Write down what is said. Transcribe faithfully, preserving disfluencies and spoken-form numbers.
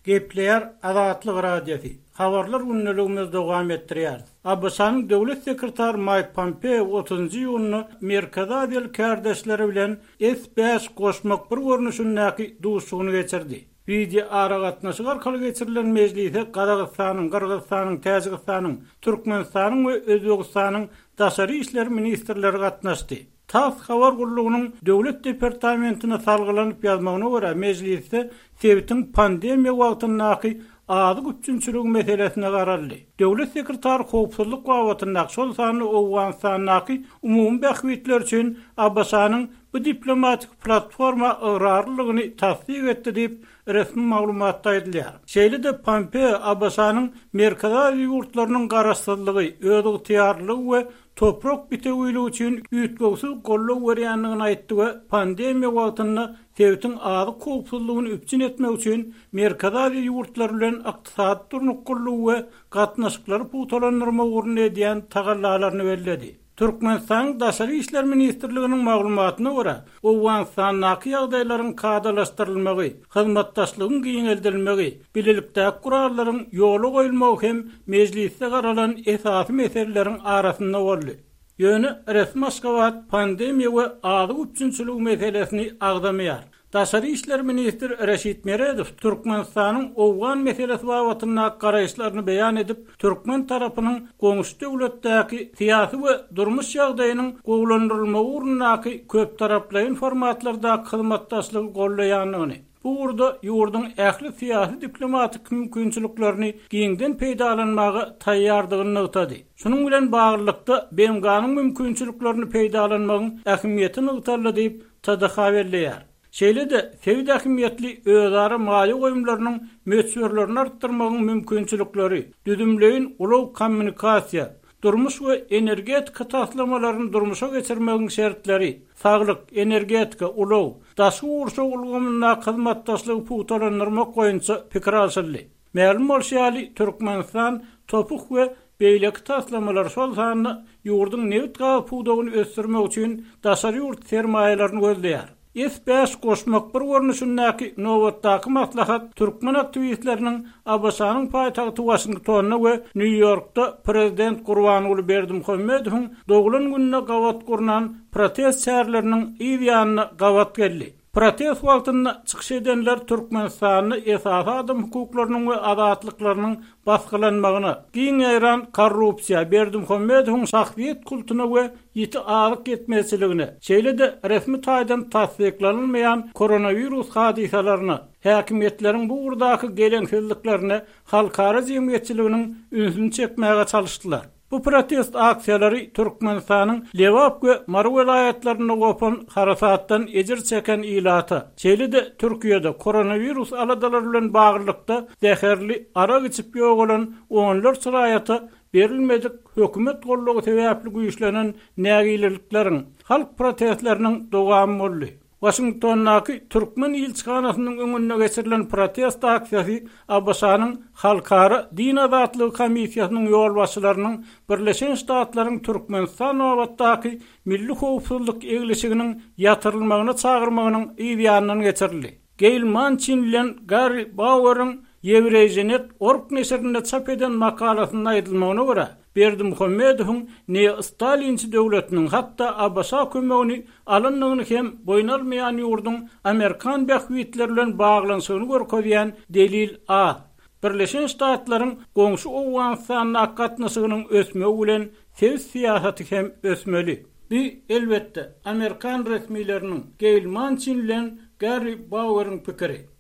Gepleýär Azatlyk Radiosy. Habarlar gündeligimizi dowam etdirýär. ABŞ-nyň döwlet sekretary Mike Pompeo otuzynjy iýunda Merkezi Aziýaly kärdeşleri bilen S bäş goşmak bir görnüşindäki duşuşygyny geçirdi. Wideo aragatnaşyk arkaly geçirilen mejlise Gazagystanyň, Gyrgyzystanyň, Täjigistanyň, Türkmenistanyň we Özbegistanyň daşary işler ministrleri gatnaşdy. TASS habar gullugynyň döwlet departamentine salgylanyp ýazmagyna görä, mejlisde sebitiň pandemiýa wagtyndaky azyk üpjünçiligi meselesine garaldy. Döwlet sekretary howpsuzlyk babatyndaky, şol sanda Owganystandaky umumy bähbitler üçin ABŞ-nyň bu diplomatik platforma ygrarlylygyny tassyk etdi diýip, resmi maglumatda aýdylýar. Şeýle-de Pompeo ABŞ-nyň Merkezi Aziýa ýurtlarynyň garaşsyzlygy, özygtyýarlygy we toprak bitewiligi üçin üýtgewsiz goldaw berýändigini aýtdy we pandemiýa wagtynda sebitiň azyk howpsuzlygyny üpjün etmek üçin Merkezi Aziýa ýurtlary bilen ykdysady durnuklylygy we gatnaşyklary pugtalandyrmak ugrunda edýän tagallalaryny belledi. Türkmenistanyň Daşary işler ministrliginiň maglumatyna görä, Owganystandaky ýagdaýlaryň kadalaşdyrylmagy, hyzmatdaşlygyň giňeldilmegi, bilelikdäki gurallaryň ýola goýulmagy hem mejlisde garalan esasy meseleleriň arasynda boldy. Ýöne resmi Aşgabat pandemiýa we azyk üpjünçiligi meselesini agzamaýar. Daşary işler ministri Reşit Meredow Türkmenistanyň Owgan meselesi babatyndaky garaýyşlaryny beýan edip, türkmen tarapynyň goňşy döwletdäki syýasy we durmuş ýagdaýynyň gowulandyrylmagy ugrundaky köptaraplaýyn formatlardaky hyzmatdaşlygy gollaýandygyny, bu ugurda ýurduň ähli syýasy diplomatik mümkinçiliklerini giňden peýdalanmaga taýýardygyny nygtady. Şunuň bilen baglylykda B M G-nyň mümkinçiliklerini peýdalanmagyň ähmiýeti nygtaldy diýip T D H belleýär. Şeýle-de sebit ähmiýetli özara maýa goýumlarynyň möçberlerini artdyrmagyň mümkinçilikleri, düzümleýin ulag kommunikasiýa, durmuş we energetika taslamalaryny durmuşa geçirmegiň şertleri, saglyk, energetika, ulag, daşky gurşaw ulgamyndaky hyzmatdaşlygy pugtalandyrmak boýunça pikir alşyldy. Mälim bolşy ýaly, Türkmenistan topuk we beýleki taslamalar, şol sanda ýurduň nebit gaz pudagyny ösdürmek üçin daşary ýurt sermaýalaryny gözleýär. S bäş goşmak bir görnüşindäki nobatdaky maslahat türkmen aktiwistleriniň ABŞ-nyň paýtagty Waşingtonda we Nýu-Ýorkda prezident Gurbanguly Berdimuhamedowyň doglan gününe gabat gurnan protest çäreleriniň yz ýanyna gabat geldi. Protest wagtynda çykyş edenler Türkmenistanda esasy adam hukuklarynyň we azatlyklarynyň basgylanmagyna, giň ýaýran korrupsiýa, Berdimuhamedowyň şahsyýet kultuna we ýiti azyk ýetmezçiligine, şeýle-de resmi taýdan tassyklanylmaýan koronawirus hadysalaryna, häkimiýetleriň bu ugurdaky geleňsizliklerine halkara jemgyýetçiliginiň ünsüni çekmäge çalyşdylar. Bu protest aksiýalary Türkmenistanyň Lebap we Mary welaýatlarynda gopan harasatdan ejir çeken ilata, şeýle-de Türkiýede koronawirus aladalary bilen baglylykda zäherli arak içip ýogalan onlarça raýata berilmedik hökümet goldawy sebäpli güýçlenen nägilelikleriň, halk protestleriniň dowamy boldy. Waşingtondaky türkmen ilçihanasynyň öňünde geçirilen protest aksiýasy ABŞ-nyň Halkara Din Azatlygy Komissiýasynyň ýolbaşçylarynyň Birleşen Ştatlaryň Türkmenistan babatdaky milli howpsuzlyk eglişiginiň ýatyrylmagyna çagyrmagynyň yz ýanyndan geçirildi. Gail Manchin bilen Gary Baueriň Eurasianet org neşirinde çap eden makalasynda aýdylmagyna görä, Berdimuhamedowyň ne Stalinçi döwletiniň hatda ABŞ kömegini alandygyny hem boýun almaýan ýurduň Amerikan bähbitleri bilen baglanyşygyny görkezýän delil az. Birleşen Ştatlaryň goňşy Owganystandaky gatnaşygynyň ösmegi bilen sebit syýasaty hem ösmeli. Bu elbetde Amerikan resmileriniň Gail Manchin bilen Gary Baueriň pikiri.